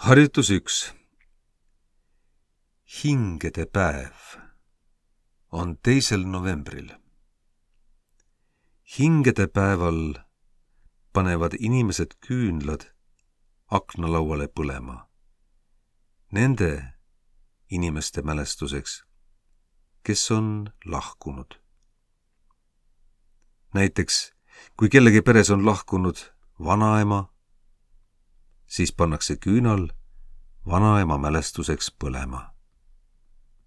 Harjutus 1. Hingede päev on 2. novembril. Hingede päeval panevad inimesed küünlad aknalauale põlema. Nende inimeste mälestuseks, kes on lahkunud. Näiteks, kui kellegi peres on lahkunud vanaema, siis pannakse küünal vanaema mälestuseks põlema.